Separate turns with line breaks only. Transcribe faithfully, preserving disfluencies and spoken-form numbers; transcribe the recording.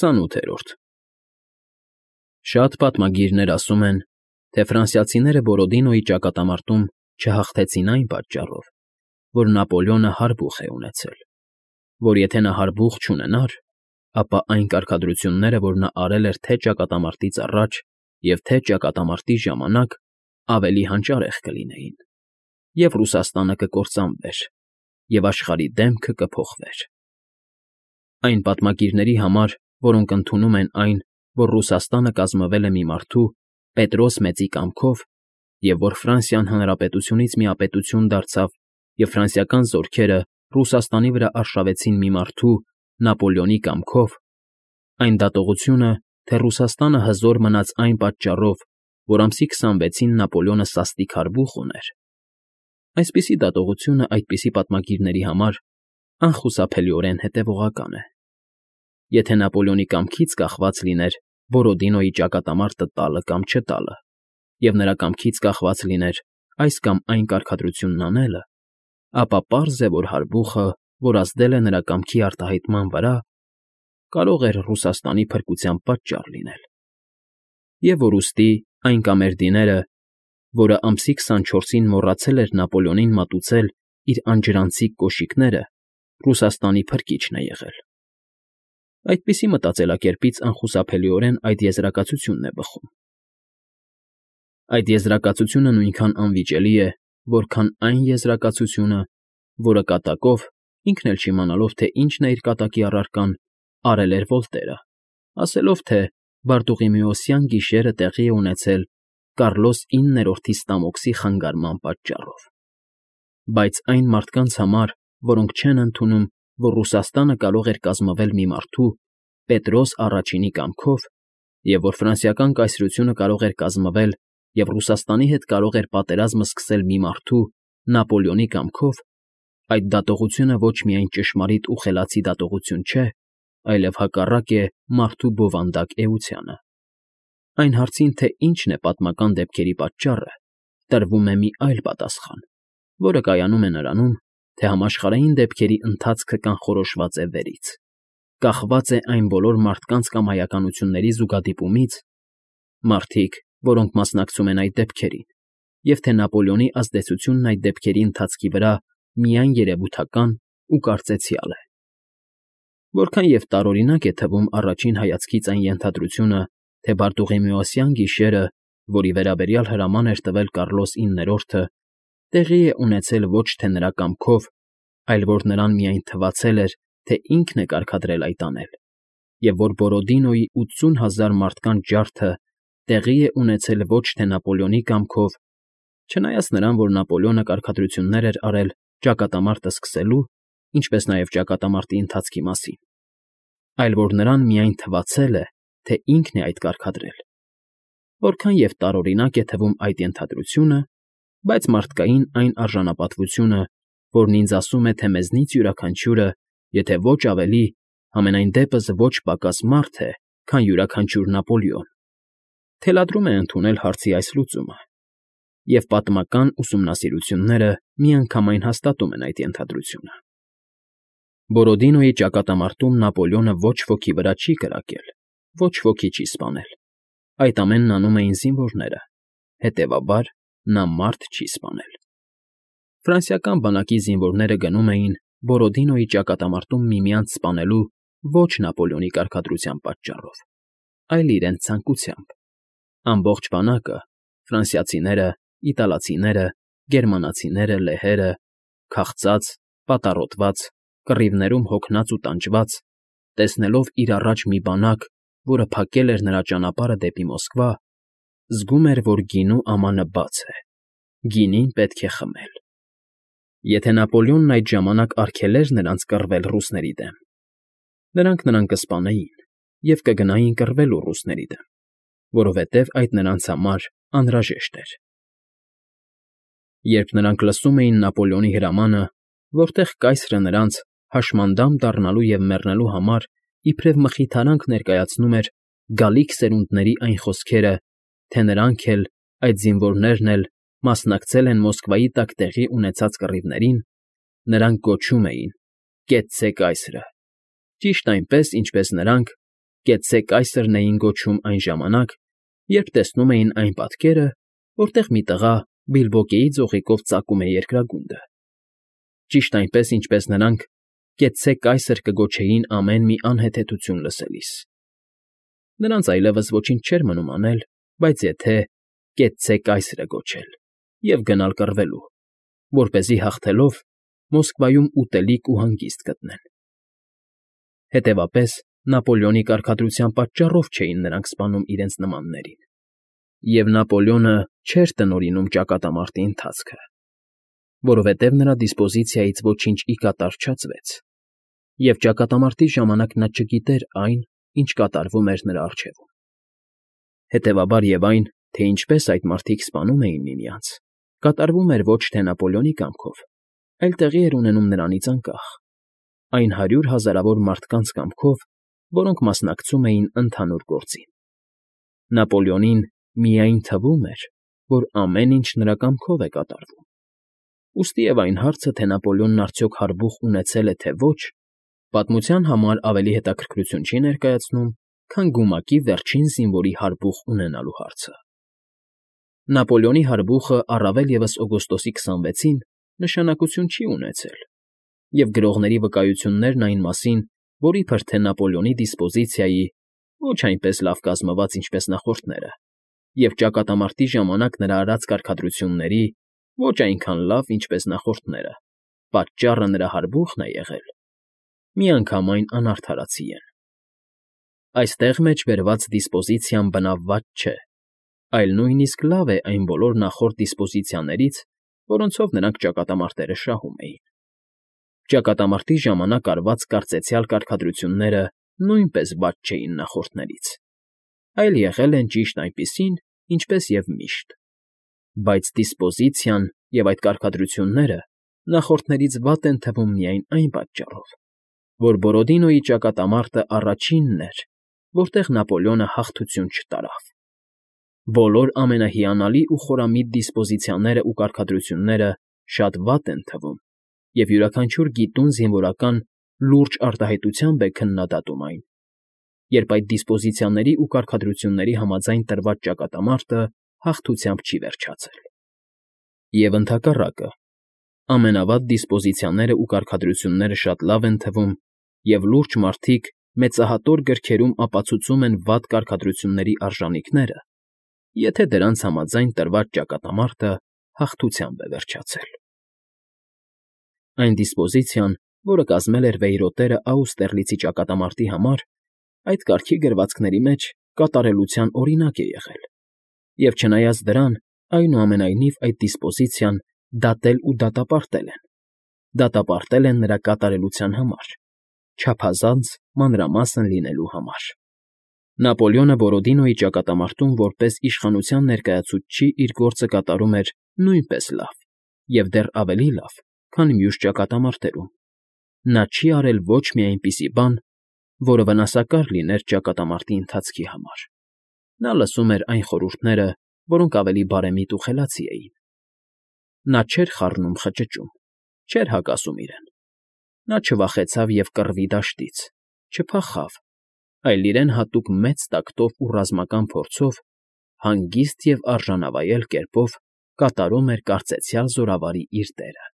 Քսանութերորդ Շատ պատմագիրներ ասում են, թե ֆրանսիացիները Բորոդինոյի ճակատամարտում չհաղթեցին այն պատճառով, որ Նապոլեոնը հարբուխ է ունեցել, որ եթե նա հարբուխ չունենար, ապա այն կարգադրությունները, որ նա արել էր թե ճակատամարտից առաջ և թե ճակատամարտի ժամանակ, ավելի հանճարեղ կլինեին, և Ռուսաստանը կկործանվեր, և աշխարհի դեմքը կփոխվեր։ Այն պատմագիրների համար, որոնք ընդունում են այն, որ Ռուսաստանը կազմվել է մի մարդու՝ Պետրոս Մեծի կամքով, և որ Ֆրանսիան հանրապետությունից միապետություն դարձավ և ֆրանսիական զորքերը Ռուսաստանի վրա արշավեցին մի մարդու՝ Նապոլեոնի կամքով, այն դատողությունը, թե Ռուսաստանը հզոր մնաց այն պատճառով, որ ամսի քսանվեցին Նապոլեոնը սաստիկ հարբուխ ուներ, այսպիսի դատողությունը այդպիսի պատմագիրների համար անխուսափելիորեն հետևողական է։ Եթե Նապոլեոնի կամքից կախված լիներ Բորոդինոյի ճակատամարտը տալը կամ չտալը, և նրա կամքից կախված լիներ այս կամ այն կարգադրությունն անելը, ապա պարզ է, որ հարբուխը, որ ազդել է նրա կամքի արտահայտման վրա, կարող էր Ռուսաստանի փրկության պատճառ լինել, և որ ուստի այն կամերդիները, որը ամսի քսանչորսին մոռացել էր Նապոլեոնին մատուցել իր անջրանցիկ կոշիկները, Ռուսաստանի փրկիչն է եղել։ Այդպիսի մտածելակերպից անխուսափելիորեն այդ եզրակացությունն է բխում։ Այդ եզրակացությունը նույնքան անվիճելի է, որքան այն եզրակացությունը, որը կատակով, ինքն էլ չիմանալով, թե ինչն է իր կատակի առարկան, արել էր Վոլտերը, ասելով, թե Բարտուղիմեոսյան գիշերը տեղի է ունեցել Կարլոս իններորդի ստամոքսի խանգարման պատճառով։ Բայց այն մարդկանց համար, որոնք չեն ընդունում, որ Ռուսաստանը կարող էր կազմվել մի մարդու՝ Պետրոս Առաջինի կամքով, և որ ֆրանսիական կայսրությունը կարող էր կազմվել և Ռուսաստանի հետ կարող էր պատերազմը սկսել մի մարդու՝ Նապոլեոնի կամքով, այդ դատողությունը ոչ միայն ճշմարիտ ու խելացի դատողություն չէ, այլև հակառակ է մարդու բովանդակ էությանը։ Այն հարցին, թե ինչն է պատմական դեպքերի պատճառը, տրվում է մի այլ պատասխան, որը կայանում է նրանում, թե համաշխարհային դեպքերի ընթացքը կանխորոշված է վերից, կախված է այն բոլոր մարդկանց կամ հայականությունների զուգադիպումից, մարդիկ, որոնք մասնակցում են այդ դեպքերին, և թե Նապոլեոնի ազդեցությունն այդ դեպքերի ընթացքի վրա միայն երևութական ու կարծեցյալ է։ Որքան և տարօրինակ է թվում առաջին հայացքից այն ենթադրությունը, թե Բարտուղիմեոսյան գիշերը, որի վերաբերյալ հրաման էր տվել Կարլոս իններորդը, տեղի է ունեցել ոչ թե նրա կամքով, այլ որ նրան միայն թվացել էր, թե ինքն է կարգադրել այդ անել, և որ Բորոդինոյի ութսուն հազար մարդկանց ջարդը տեղի է ունեցել ոչ թե Նապոլեոնի կամքով, չնայած նրան, որ Նապոլեոնը կարգադրություններ էր արել ճակատամարտը սկսելու, ինչպես նաև ճակատամարտի ընթացքի մասին, այլ որ նրան միայն թվացել է, թե ինքն է այդ կարգադրել։ Որքան և տարօրինակ է թվում այդ ենթադրությունը, բայց մարդկային այն արժանապատվությունը, որն ինձ ասում է, թե մեզնից յուրաքանչյուրը, եթե ոչ ավելի, համենայն դեպս ոչ պակաս մարդ է, քան յուրաքանչյուր Նապոլեոն, թելադրում է ընդունել հարցի այս լուծումը, և պատմական ուսումնասիրությունները միանգամայն հաստատում են այդ ենթադրությունը։ Բորոդինոյի ճակատամարտում Նապոլեոնը ոչ ոքի վրա չի կրակել, ոչ ոքի չի սպանել, այդ ամենն անում էին զինվորները, հետևաբար նա մարդ չի սպանել։ Ֆրանսիական բանակի զինվորները գնում էին Բորոդինոյի ճակատամարտում միմյանց սպանելու ոչ Նապոլեոնի կարգադրության պատճառով, այլ իրենց ցանկությամբ։ Ամբողջ բանակը՝ ֆրանսիացիները, իտալացիները, գերմանացիները, լեհերը, քաղցած, պատառոտված, կռիվներում հոգնած ու տանջված, տեսնելով իր առաջ մի բանակ, որը փակել էր նրա ճանապարհը դեպի Մոսկվա, զգում էր, որ գինու ամանը բաց է, գինին պետք է խմել։ Եթե Նապոլեոնն այդ ժամանակ արգելեր նրանց կռվել ռուսների դեմ, նրանք նրան կսպանեին և կգնային կռվելու ռուսների դեմ, որովհետև այդ նրանց համար անհրաժեշտ էր։ Երբ նրանք լսում էին Նապոլեոնի հրամանը, որտեղ կայսրը նրանց հաշմանդամ դառնալու և մեռնելու համար իբրև մխիթարանք ներկայացնում էր գալիք սերունդների այն խոսքերը, թե նրանք էլ, այդ զինվորներն էլ մասնակցել են Մոսկվայի տակ տեղի ունեցած կռիվներին, նրանք գոչում էին. «Կեցցե կայսրը», ճիշտ այնպես, ինչպես նրանք, Կեցցե կայսրն էին գոչում այն ժամանակ, երբ տեսնում էին այն պատկերը, որտեղ մի տղա բիլբոկեի ձողիկով ծակում է երկրագունդը, ճիշտ այնպես, ինչպես նրանք «Կեցցե կայսր» կգոչեին ամեն մի անհեթեթություն լսելիս։ Նրանց այլևս ոչինչ չէր մնում անել, բայց եթե «Կեցցե կայսրը» գոչել և գնալ կռվելու, որպեսզի հաղթելով Մոսկվայում ուտելիք ու հանգիստ գտնեն։ Հետևաբար, Նապոլեոնի կարգադրության պատճառով չէին նրանք սպանում իրենց նմաններին, և Նապոլեոնը չէր տնօրինում ճակատամարտի ընթացքը, որովհետև նրա դիսպոզիցիայից ոչինչ ի կատար չածվեց, և ճակատամարտի ժամանակ նա չգիտեր այն, ինչ կատարվում էր նրա առջևում։ Հետևաբար և այն, թե ինչպես այդ մարդիկ սպանում էին միմյանց, կատարվում էր ոչ թե Նապոլեոնի կամքով, այլ տեղի էր ունենում նրանից անկախ, այն հարյուր հազարավոր մարդկանց կամքով, որոնք մասնակցում էին ընդհանուր գործին։ Նապոլեոնին միայն թվում էր, որ ամեն ինչ նրա կամքով է կատարվում։ Ուստիև այն հարցը, թե Նապոլեոնն արդյոք հարբուխ ունեցել է, թե ոչ, պատմության համար ավելի հետաքրքրություն չի ներկայացնում, քան գումակի վերջին զինվորի հարբուխ ունենալու հարցը։ Նապոլեոնի հարբուխը առավել ևս օգոստոսի քսանվեցին նշանակություն չի ունեցել, և գրողների վկայություններն այն մասին, որ իբր թե Նապոլեոնի դիսպոզիցիայի ոչ այնպես լավ կազմված, ինչպես նախորդները, և ճակատամարտի ժամանակ նրա արած կարգադրությունների ոչ այնքան լավ, ինչպես նախորդները, պատճառը նրա հարբուխն է եղել, միանգամայն անարդարացի են։ Այստեղ մեջ բերված դիսպոզիցիան բնավված չէ, այլ նույնիսկ լավ է այն բոլոր նախորդ դիսպոզիցիաներից, որոնցով նրանք ճակատամարտերը շահում էին։ Ճակատամարտի ժամանակ արված կարծեցյալ կարգադրությունները նույնպես վատ չէին նախորդներից, այլ եղել են ճիշտ այնպիսին, ինչպես և միշտ, բայց դիսպոզիցիան և այդ կարգադրությունները նախորդներից վատ են թվում միայն այն պատճառով, որ Բորոդինոյի ճակատամարտը առաջինն էր, որտեղ Նապոլեոնը հաղթություն չտարավ։ Բոլոր ամենահիանալի ու խորամիտ դիսպոզիցիաներն ու կարգադրությունները շատ վատ են թվում, և յուրաքանչյուր գիտուն զինվորական լուրջ արտահայտությամբ է քննադատում այն, երբ այդ դիսպոզիցիաների ու կարգադրությունների համաձայն տրված ճակատամարտը հաղթությամբ չի վերջացել։ Եվ ընդհակառակը, ամենավատ դիսպոզիցիաներն ու կարգադրությունները շատ լավ են թվում, և լուրջ մարդիկ մեծահատոր գրքերում ապացուցում են վատ կարգադրությունների արժանիքները, եթե դրանց համաձայն տրված ճակատամարտը հաղթությամբ է վերջացել։ Այն դիսպոզիցիան, որը կազմել էր Վեյրոտերը Աուստերլիցի ճակատամարտի համար, այդ կարգի գրվածքների մեջ կատարելության օրինակ է եղել, և չնայած դրան, այնուամենայնիվ այդ դիսպոզիցիան դատել ու դատապարտել են, դատապարտել են նրա կատարելության համար, չափազանց մանրամասն լինելու համար։ Նապոլեոնը Բորոդինոյի ճակատամարտում որպես իշխանության ներկայացուցիչ իր գործը կատարում էր նույնպես լավ և դեռ ավելի լավ, քան մյուս ճակատամարտերում։ Նա չի արել ոչ մի այնպիսի բան, որը վնասակար լիներ ճակատամարտի ընթացքի համար։ Նա լսում էր այն խորհուրդները, որոնք ավելի բարեմիտ ու խելացի էին։ Նա չէր խառնում խճճում, չէր հակասում իրեն։ Նա չվախեցավ և կռվի դաշտից, չփախավ, այլ իրեն հատուկ մեծ տակտով ու ռազմական փորձով, հանգիստ և արժանավայել կերպով կատարում էր կարծեցյալ զորավարի իր դերը։